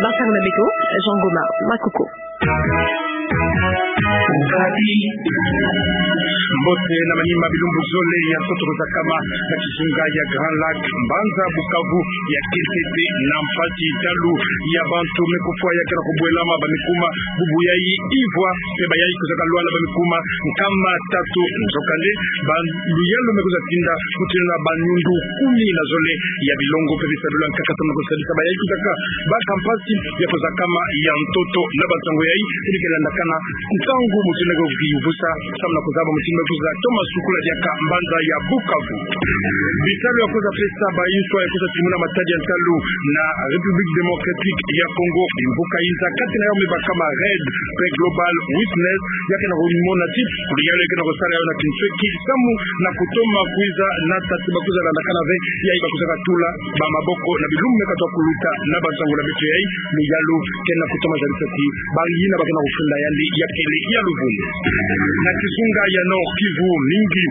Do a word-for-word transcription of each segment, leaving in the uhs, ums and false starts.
Basango na beto, Jean Goma Makoko. Mbote na manima. Bilumbu zole ya ntoto ekozakama na kizunga ya Grand Lac, mbanza Bukavu, ya kintete na mpasi ntalu ya bantu me kufwa, ya ke na kubwelama, ba me kuma bubu yayi ivwa, mpe bayayi kozaka lwala ba me kuma nkama tatu. Nzokande, ba luyalu me kwiza tinda mutindu na ba nyundu kumi na zole ya bilongo mpe bisalu bia nkaka samu na kusadisa bayayi kozaka baka mpasi ya kozakama ya ntoto. Na bansango yayi, ina ke landakana ntangu mutindu na kwiza vusa samu na kuzaba mutindu na kwiza toma sukula diaka mbanza ya Bukavu. Bisalu ya kwiza pesa ba inswa ya kwiza timuna matadi ya ntalu na République Démocratique ya Congo, bimvuka inza, kati na yawu me bakama RAID mpe Global Witness, ya ke na kumona ti luyalu ya ke na kusala yawu na kinsweki samu na kutoma kwiza na tati ba kwiza landakana ve yayi ba kwizaka tula ba maboko na bilumbu me katuka kuluta. Na bansango na beto yayi, luyalu ke na kutoma zalisa ti ba yina ba ke na kufunda yandi ya kele ya luvunu. Na kizunga ya Nord-Kivu, mingi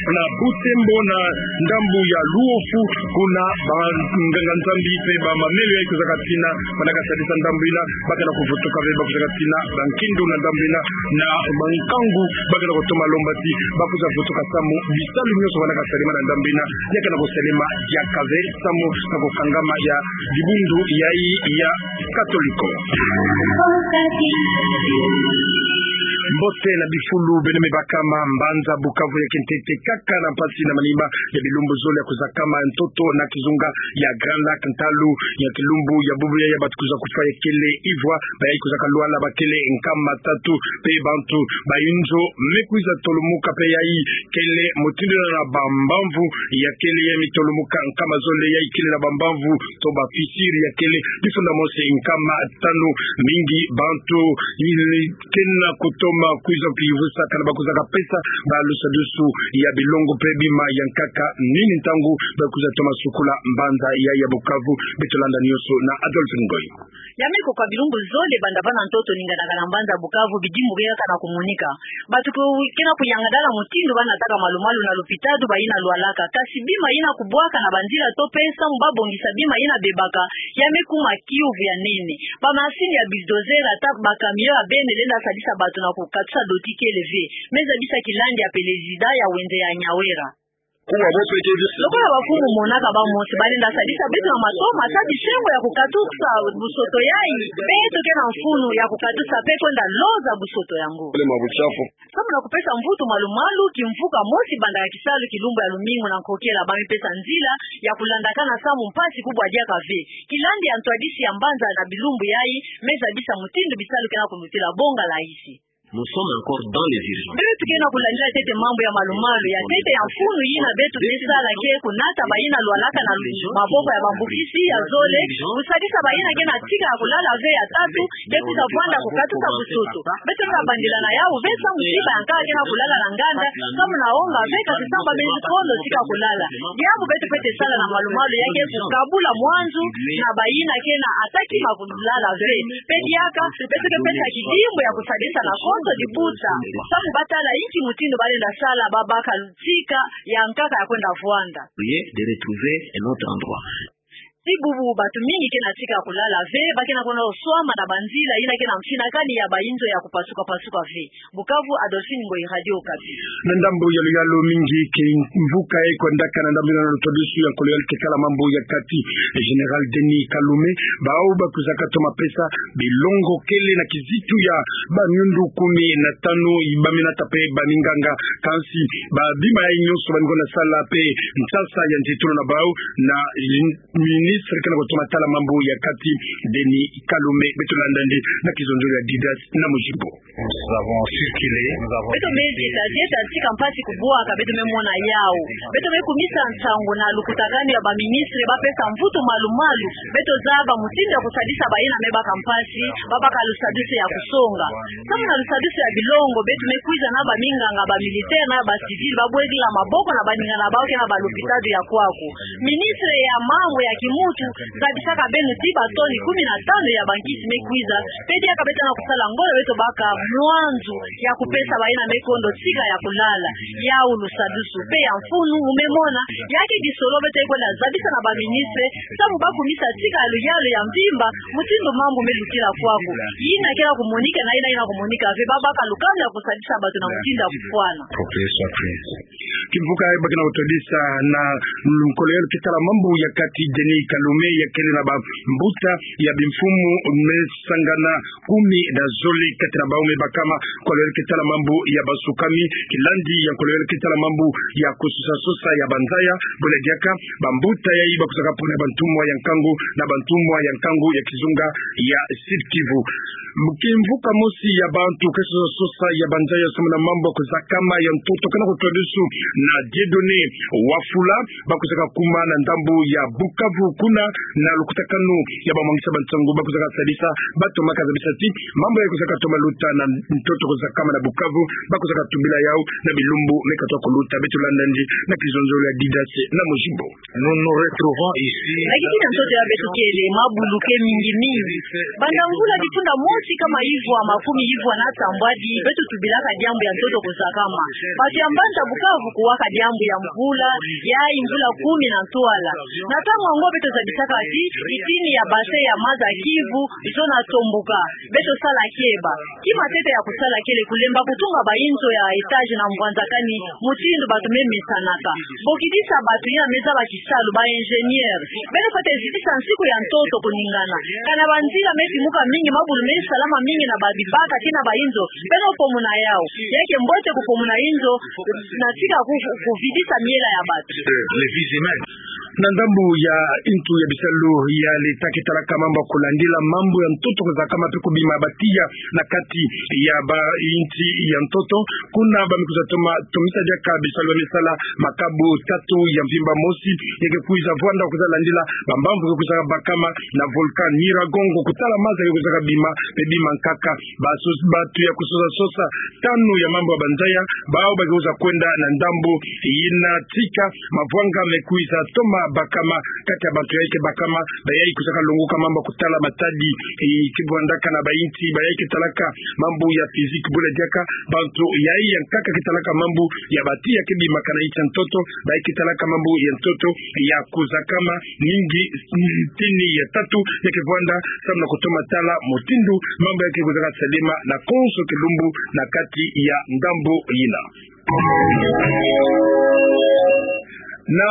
na Butembo, na ndambu ya Luofu, kuna banganga-Nzambi mpe ba mamelo yayi kwizaka tina, ba naka sadisa ndambu yina, ba ke na kuvutuka ve ba kwizaka tina bankindu na ndambu yina, na bankangu ba ke na kutoma lomba ti ba kwiza vutuka samu bisalu nyonso ba naka salama na ndambu yina ya ke na kusalama diaka ve samu na kukangama ya dibundu yayi ya Katoliko. Mbote na bifulu, beno me bakama mbanza Bukavu ya kintete kaka na mpasi na manima ya bilumbu zole ya kuzakama ntoto na kizunga ya Grand Lac, ntalu ya kilumbu ya bubu yayi ya bantu kwiza kufwa ya kele ivwa, bayayi kozaka lwala ba kele nkama tatu, mpe bantu ba inzo me kwiza tolumuka mpe yayi kele mutindu na bambamvu ya kele ya mitolumuka nkama zole, yayi kele na bambamvu to ba fissure ya kele bifunda mosi nkama tanu. Mingi bantu yili ke na kutoma kwiza kwiza vusakana ba kwizaka pesa ba lusadusu ya bilongo mpe bima ya nkaka. Nini ntangu ba kwiza toma sukula mbanza yayi ya Bukavu? Beto landa nyonso na Adolphe Ngoy. Ya me koka bilumbu zole banda va na ntoto, ningana kaka na mbanza Bukavu bidimbu ke kaka na kumonika. Bantu ke na kuyangadala mutindu ba nataka malumalu na lupitalu ba yina lwalaka. Kasi bima yina kubwaka na banzila to mpe samu ba bongisa bima yina bebaka, ya me kuma kiuvu ya nene. Ba machine ya bulldozer ata ba camion ya bene lenda sadisa bantu na kukatusa doti kele ve. Me zabisa kilandi ya pelezida ya wenze ya Nyawera. Lokola bamfumu monaka, bamosi ba lenda sadisa beto na matoma, sa bisengo ya kukatusa busoto yayi. Beto ke na mfunu ya kukatusa mpe kwenda loza busoto yango. Samu na kupesa mvutu malumalu, kimvuka mosi banda ya kisalu kilumbu ya lumingu na nkokela, ba me pesa nzila ya kulandakana samu mpasi kubwa diaka ve. Kilandi ya ntwadisi ya mbanza na bilumbu yayi me zabisa mutindu bisalu ke na kulutila bongalahisi. Nous sommes encore dans les urgences. Beto ke na kulandila ntete mambu ya malumalu. Ya ntete ya mfunu yina beto ke sala ke kunata ba yina lwalaka na maboko ya bambukisi. Ya zole, kusadisa ba yina ke na tika ya kulala ve. Ya tatu, ke kwiza vwanda kukatusa busoto. Beto ke na bandila na yawu ve samu tika ya nkaka ke na kulala na nganda, samu na onga ve, kasi samu ba mezi kondo tika kulala. Diambu beto fwete sala na malumalu ya ke kukabula mwanzu na ba yina ke na ata kima kulala ve. Mpe diaka, beto ke pesa kidimbu ya kusadisa na konso dibuta samu ba tala inki mutindu ba lenda sala, ba baka tika ya nkaka ya kwenda vwanda. Prier de retrouver un autre endroit. Ti bubu bantu mingi ke na tika ya kulala ve, ba ke na kwenda swama na banzila yina ke na mfinakani ya ba inzo ya kupasuka-pasuka ve. Bukavu, Adolphine Ngoyi, Radio Okapi. Na ndambu ya luyalu, mingi kimvuka e kwendaka na ndambu yina na lutwadusu ya nkolo ya lutekala mambu ya kati, Général Denis Kalume, bawu ba kwizaka toma pesa bilongo kele na kizitu ya ba nyundu kumi na tanu, ba minata mpe ba minganga, kansi ba bima yayi nyonso ba ningona sala mpe nsasa ya nzitulu na bawu na ministre ke na kutoma tala mambu ya kati, Denis Kalume. Beto landa nde na kizonzolo ya Didas na Mujimbo. Nous avons circulé, nous avons... Beto me zita zita tika mpasi kubwaka, beto me mona yawu. Beto me kumisa nsangu na lukutakanu ya ba ministre ba pesa mvutu malumalu. Beto zaba mutindu ya kusadisa ba yina me baka mpasi, ba baka lusadusu ya kusonga. Samu na lusadusu ya bilongo, beto me kwiza na ba minganga, ba militaire na ba civil, ba bwekila maboko na baningana bawu ke na ba lupitalu ya kwaku. Ministre ya mambu ya kimu Zabisaka beno ti ba toni kumi na tanu ya bankisi me kwiza, pe diaka beto na kusala ngolo beto baka mwanzu ya kupesa bayina me kondo tika ya kulala, yawu lusadusu pe ya mfunu mu me mona, ya ke kisolo beto kwenda zabisa na ba ministre, samu ba kumisa tika ya luyalu ya mvimba, mutindu mambu me lutila kwaku. Yina kela kumonika na yina yina kumonika ve, ba baka lukanu ya kusadisa bato na mutindu ya kufwana. Kimvuka ba ke na kutwadisa na, mm, colonel ke tala mambu ya kati Denis Kalume ya kele na bambuta ya bimfumu me sangana kumi na zole kati na bau me bakama colonel ke tala mambu ya basukami, kilandi ya colonel ke tala mambu ya kusosa sosa ya banzaya, bwela diaka bambuta yayi ba kusaka pona bantumwa ya nkangu na bantumwa ya nkangu ya kizunga ya Sud-Kivu. Kimvuka mosi ya bantu ke sosa sosa ya banzaya samu na mambu ya kuzakama ya ntoto ke na kutwadusu na Dieudonné Wafula, ba kusaka kuma na ndambu ya Bukavu kuna na lukutakanu ya bamwangisa bansangu ba kusaka sadisa bato ma kazabisa ti mambu ya kusaka toma luta na ntoto kuzakama na Bukavu, ba kusaka tubila yau na bilumbu me katwa kuluta. Beto landa ndi na kizonzolo ya Didace na Mujimbo. Nous nous retrouvons ici. Na kiti na ntoto ya beto kele, mabulu ke mingi mingi. Banda mvula kifunda mosi kama ivwa makumi ivwa na tambwadi, beto tubilaka diambu ya ntoto kuzakama. Bato ya mbanza Bukavu kuwaka diambu ya mvula, ya mvula kumi na ntwala. Na ntangu yango beto zabisaka ti, itini ya bassin ya maza Kivu, zona tombuka. Beto sala keba. Kima ntete ya kusala kele kulemba kutunga ba inzo ya étage na mbwanzakani, mutindu bato me mesanaka. Bokidisa bato yina me zaba kisalu, ba ingénieur. Beno fwete zitisa nsiku ya ntoto kuningana. Kana banzila me timuka mingi, mabulu me salama mingi na ba bibaka kina ba inzo, beno pomuna yau. Ya ke mbote kupomuna inzo, na tika ku-, kuvidisa miela ya bato. Les vies humaines. Na ndambu ya intu ya bisalu ya leta ke talaka mambu ya kulandila mambu ya ntoto kuzakama pe kubima ba tiya na kati ya ba inti ya ntoto, kuna ba me kwiza toma, tomisa diaka bisalu ya me sala makabu tatu. Ya mvimba mosi, ya ke kwiza vwanda kwiza landila bambamvu ke kwiza bakama na volcan Nyiragongo, kutala maza ke kwiza kabima, pe bima nkaka. Baso-, batu ya kusosa sosa tanu ya mambu ya banzaya, bau ba ke kwiza kwenda na ndambu yina tika mavwanga me kwiza toma bakama. Kati ya bantu yayi ke bakama, bayayi kwiza kalongoka mambu ya kutala matadi, eh, ke vwandaka na ba inti, bayayi ke talaka mambu ya physique, bwela diaka bantu yayi ya nkaka ke talaka mambu ya ba tiya ke bimaka na inti ya ntoto, bayayi ke talaka mambu ya ntoto ya kuzakama mingi, mm, tini ya tatu, ya ke vwanda samu na kutoma tala mutindu mambu ya ke kwiza kasalema na konso kilumbu na kati ya ndambu yina. Na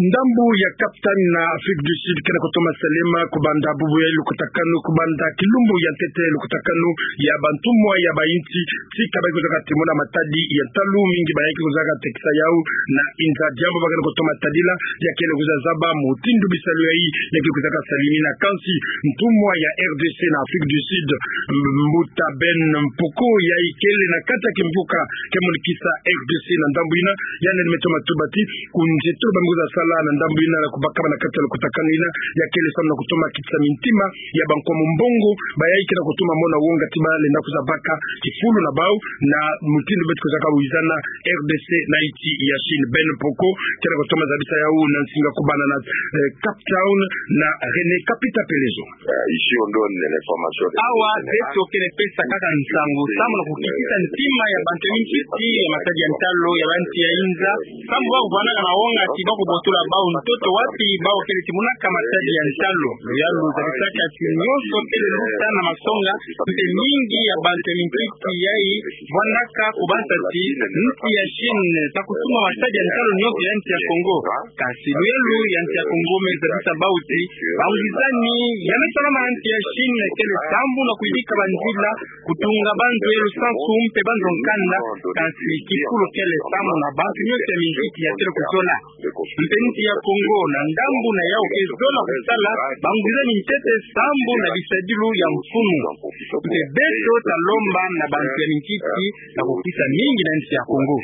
ndambu ya Cape Town na Afrique du Sud, ke na kutoma salema kubanda bubu ya lukutakanu, kubanda kilumbu ya ntete lukutakanu ya bantumwa ya ba inti, tika ba ke kwiza katimuna matadi ya ntalu mingi, bayayi ke kwiza katekisa yau na inza. Diambu ba ke na kutoma tadila, ya kele kwiza zaba mutindu bisalu yayi ya ke kwiza kasalemina. Kansi ntumwa ya R D C na Afrique du Sud, mbuta Ben Mpoko, yayi kele na kati ya kimvuka ke monikisa R D C na ndambu yina, yandi me toma tuba ti, ku nzietolo ba me kwiza sala na ndambu yina na kubakama na kati ya lukutakanu yina, ya kele samu na kutoma kitisa mintima ya bankwa mumbongo, bayayi ke na kutoma mona wonga ti ba lenda kwiza baka kifulu na bau, na mutindu beto kwiza kawizana R D C na inti ya Chine. Ben Mpoko ke na kutoma zabisa yau na nsinga kubanda na, eh, Cape Town na René Kapita Pelezo. Euh, ici, on donne l'information. Awa, beto ke na pesa kaka nsangu samu na kukitisa ntima ya bantu ya minkiti ya matadi ya ntalu ya ba inti ya inza, samu ba kuvwandaka na wonga ti ba kubotola bau ntoto wapi bau kele timunaka matadi ya ntalu. Luyalu zabisaka ti nyonso kele luta na masonga, mpe mingi ya bantu ya minkiti yayi vwandaka kubanza ti inti ya Chine ta kutuma matadi ya ntalu nyonso ya inti ya Congo. Kansi luyalu ya inti ya Congo me zabisa bau ti bangwizani ya me salama na inti ya Chine kele sambu na kuyidika banzila, kutunga banzo ya lusansu mpe banzo nkanda, kansi kifulu kele sambu na bantu nyonso ya minkiti ya kele kuzola. Mpe inti ya Congo na ndambu na yau ke zola kusala bangwizani ntete sambu na bisadilu ya mfumu. Mpe beto ta lomba na bantu ya minkiti na kukisa mingi na inti ya Congo.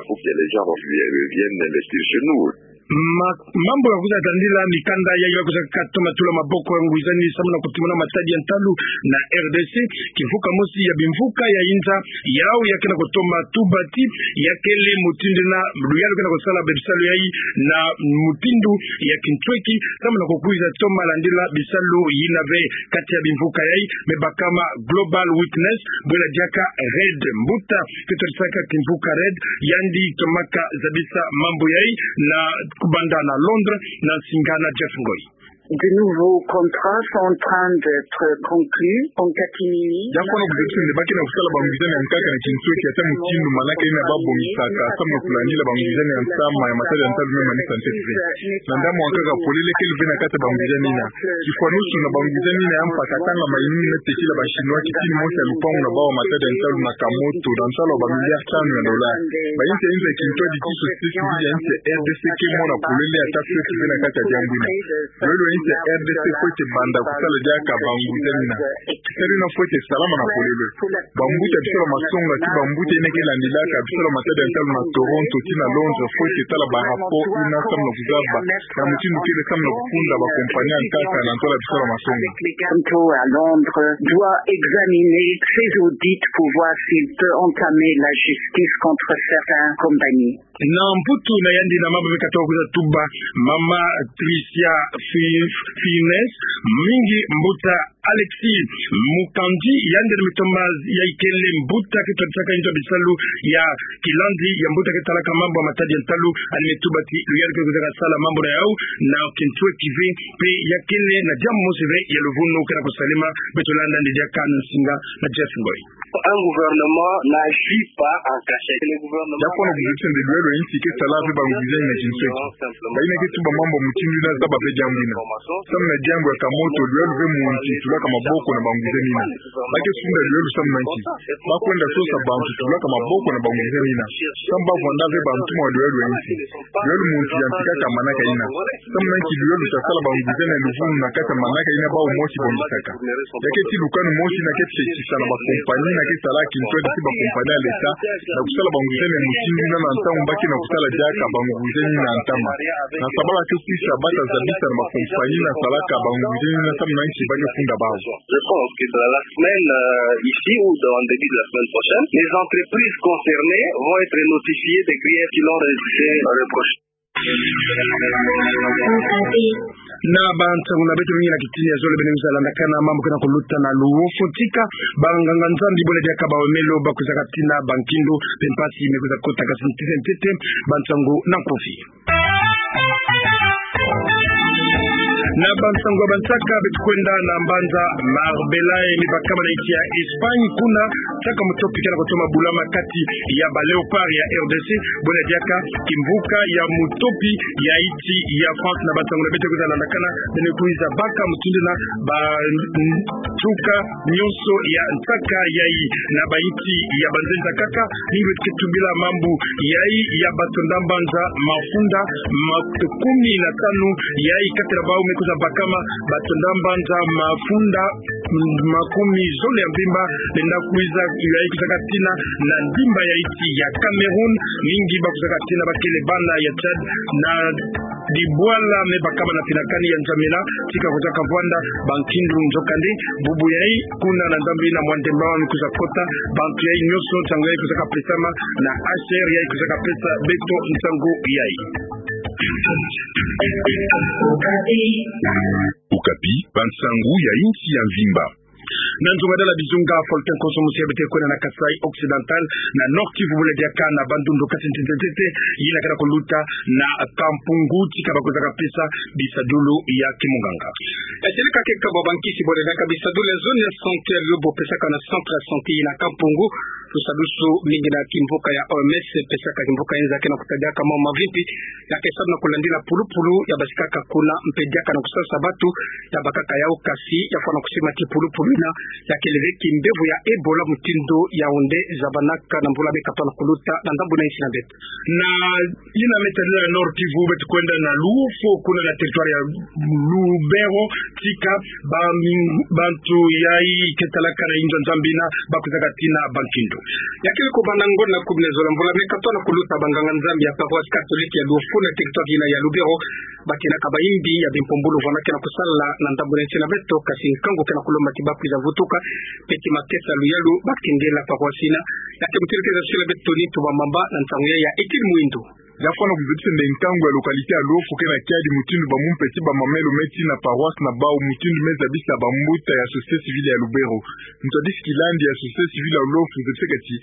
Pour que les gens reviennent investir chez nous. Ma-, mambu ya kwiza landila mikanda yayi ba kwizaka toma tula maboko ya nguizani samu na kutimuna matadi ya ntalu na R D C, kimvuka mosi ya bimvuka ya inza yau ya ke na kutoma tubati, ya kele mutindu na luyalu ke na kusala bisalu yayi na mutindu ya kintweki, samu na kukwiza toma landila bisalu yina ve kati ya bimvuka yayi, me bakama Global Witness, bwela diaka REDD, mbuta ke twadisaka kimvuka REDD, yandi tomaka zabisa mambu yayi na kubanda na Londres, na nsinga na Jeff Ngoy. De nouveaux contrats sont en train d'être conclus en catimini. Ya fwana kuzekisa nde ba ke na kusala banguizani ya nkaka na kintweki, ata mutindu manaka yina ba bongisaka samu na kulandila banguizani ya ntama ya matadi ya ntalu me manisa ntete ve. Na ndambu ya nkaka polele kele ve na kati ya banguizani yina. Kifwanusu na banguizani yina ya mpa katanga mayinina tekila ba Chinois kitini mosi ya lupangu na bawu ya matadi ya ntalu na kamoto, na nsalu ya ba milliards tanu ya dollars. Bayinsi ya inza kintwadi ti société civile ya insi ya R D C ke mona polele ata fweti ve na kati ya diambu yina. Luyalu ya insi ya R D C fweti banda kusala diaka banguizani yina. Kisalu yina fweti salama na polele. Bambuta bisalu ya masonga ti bambuta yina ke landilaka bisalu ya matadi ya ntalu na Toronto ti na Londres fweti tala ba rapport yina samu na kuzaba na mutindu kele samu na kufunda ba compagnie ya nkaka na ntoto ya bisalu ya masonga. Toronto à Londres doit examiner ses audits pour voir s'il peut entamer la justice contre certaines compagnies. Na Mputu na yandi na mambu me katoka kwiza tuba, mama Tricia Fi-, Fines, mingi mbuta Alexis Mukandi, yandi na mitoma ya ikele mbuta ke twadisaka inzo bisalu ya kilandi ya mbuta ke talaka mambu ya matadi ya ntalu, yandi me tuba ti luyalu ke kwizaka sala mambu na yau na kintweki ve, mpe ya kele na diambu mosi ve ya luvunu ke na kusalama. Beto landa nde diaka na nsinga na Jeff Ngoy. Un gouvernement n'agit pas en cachette. Le gouvernement... Ya fwana kuzekisa nde luyalu ya insi ke sala ve banguizani na kintweki. Bayina ke tuba mambu mutindu yina zaba ve diambu yina. Samu na diambu ya kamoto, luyalu ve muntu tulaka maboko na banguizani yina. Ba ke sunda luyalu samu na nki? Ba kwenda sosa bantu tulaka maboko na banguizani yina. Samu ba vwanda ve bantuma luyalu ya insi. Luyalu muntu yantikaka manaka yina. Samu na nki luyalu ta sala banguizani ya luvunu na kati ya manaka yina bawu mosi bongisaka? Ya ke ti lukanu mosi yina ke tekisa na ba compagnie yina ke sala kintwadi ti ba compagnie ya l'État na kusala banguizani ya mutindu yina na ntangu ba ke na kusala diaka banguizani yina ya ntama. Na sabala ke sisa ba ta zabisa na ba compagnie yina salaka banguizani yina samu na nki ba ke funda bawu. Je pense que dans la semaine, euh, ici ou dans le début de la semaine prochaine, les entreprises concernées vont être notifiées des griefs qui leur est reproché. Na bansangu na beto mingi na kitini ya zole beno kwiza landakana mambu ke na kuluta na luwofo tika banganga-Nzambi bole diaka bawemelo ba kwizaka tina bankindu mpe mpasi me kwiza kota kasi ntete ntete. Bansangu na nkofi. Na bansangu ya bansaka, beto kwenda na mbanza Marbella, e, me bakama na insi ya Espagne, kuna nsaka mutopi ke na kutoma bulama kati ya ba Léopards ya R D C, bole diaka kimvuka ya mutopi ya insi ya France. Na bansangu na beto kwiza landakana, beno kwiza baka mutindu yina ba, mm, nsuka nyonso ya nsaka yayi na ba insi ya banzenza kaka, mingi beto ke tubila mambu yayi ya bato nda mbanza mafunda ma-, kumi na tanu yayi, kati na bawu me kwiza bakama bato nda mbanza mafunda, mm, makumi zole ya mvimba, benda kwiza yayi kwizaka tina na ndimba ya insi ya Cameroun, mingi ba kwizaka tina ba kele bana ya Tchad, na dibwala me bakama na finakani ya N'Djamena, tika kwizaka vwanda bankindu. Nzokande, bubu yayi, kuna na ndambu yina Mwandemba me kwiza kota, bantu yayi nyonso, nsangu yayi kwizaka pesama na H C R, yayi kwizaka pesa beto nsangu yayi. Okapi, bansangu ya insi ya mvimba. Na nzunga dala bizunga, Faustin Nkoso, mosi ya beto kwenda na Kasaï Occidental, na Nord-Kivu, bole diaka na Bandundu, kasi ntete ntete yina ke na kuluta na Kampungu, tika ba kwizaka pesa bisadulu ya kimunganga. E, tirika ke kabwa bankisi bole diaka bisadulu ya zone ya santé, yo bo pesaka na centre ya santé yina Kampungu, lusadusu mingi na kimvuka ya O M S, pesaka kimvuka inza ke na kutadiaka mo mavimpi, ya ke salu na kulandila pulupulu ya basikaka kuna, mpe diaka na kusasa batu ya bakaka yau, kasi ya fwana kusima ti pulupulu yina ya kele ve kimbevo ya Ebola mutindu ya onde zabanaka na mbula me katoka na kuluta na ndambu na insi na beto. Na yina me tadila Nord-Kivu, beto kwenda na Luwofo, kuna na territoire ya Lubero, tika ba mi-, bantu yayi ke talaka na inzo ya Nzambi yina ba kwizaka tina bankindu. Ya kele ko banda ngonda kubne zola mvula me katwa na kuluta, banganga-Nzambi ya paroisse catholique ya Luofu na territoire yina ya Lubero, batenaka bayimbi ya bimpumbulu vwanakena kusala na ndambu na nsi na beto, kasi nkangu kena kulomba ti bakwiza vutuka, peti makesa luyalu bakengela paroisse yina. Ya ke mutelekeza sila beto ni tuba mamba na ntangu ya ya Étienne Mwindo. Ya fwana kuzabisa nde nkangu ya localité ya Luofu kena kiadi mutindu bamumpe ti bamamelo me tina paroisse na bau, mutindu me zabisa bambuta ya société civile ya Lubero. Ntwadisi kilandi ya société civile ya Luofu zabisaka ti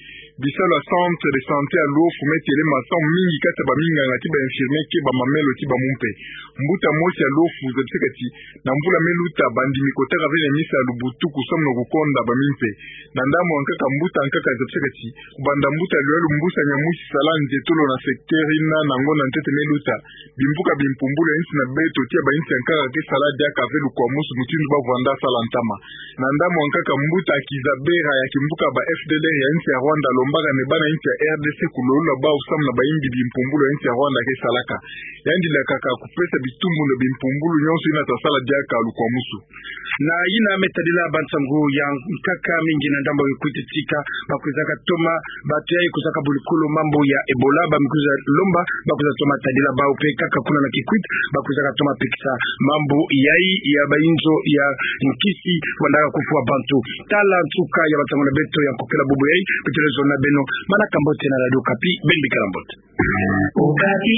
bisalu ya centre de santé ya Luofu me telema samu mingi kati ya baminganga ti ba infirmier ke bamamelo ti bamumpe. Mbuta mosi ya Luofu zabisaka ti na mvula me luta, bandimi kotaka ve na misa ya lubutuku samu na kukonda bamimpe. Na ndambu ya nkaka, mbuta ya nkaka zabisaka ti kubanda mbuta luyalu mbusa nya musi sala nzietolo na secteur yina na ngonda ntete me luta, bimvuka bimpumbulu ya nsi na beto ti ya ba nsi ya nkaka ke sala diaka ve lukwamusu mutindu bavwanda sala ntama. Na ndambu ya nkaka, mbuta Kizabera ya kimvuka ba FDLR ya nsi ya Rwanda alombaka nde bana nsi ya RDC kulolula bau samu na bayimbi bimpumbulu ya nsi ya Rwanda ke salaka. Yandi lakaka kupesa bitumbu na bimpumbulu nyonso yina ta sala diaka lukwamusu. Na yina me tadila bansangu ya nkaka mingi na ndambu ya Kikwit, tika bakwizaka toma bato yayi kwizaka bulukulu mambu ya Ebola, bamikwiza lomba bakwiza toma tadila bau, mpe kaka kuna na Kikwit bakwizaka toma pekisa mambu yayi ya bayinzo ya nkisi vandaka kufwa bantu. Tala nsuka ya bansangu na beto ya nkokela bubu yayi, beto lezona beno manaka mbote na Radio Okapi, beno bikala mbote. Okapi.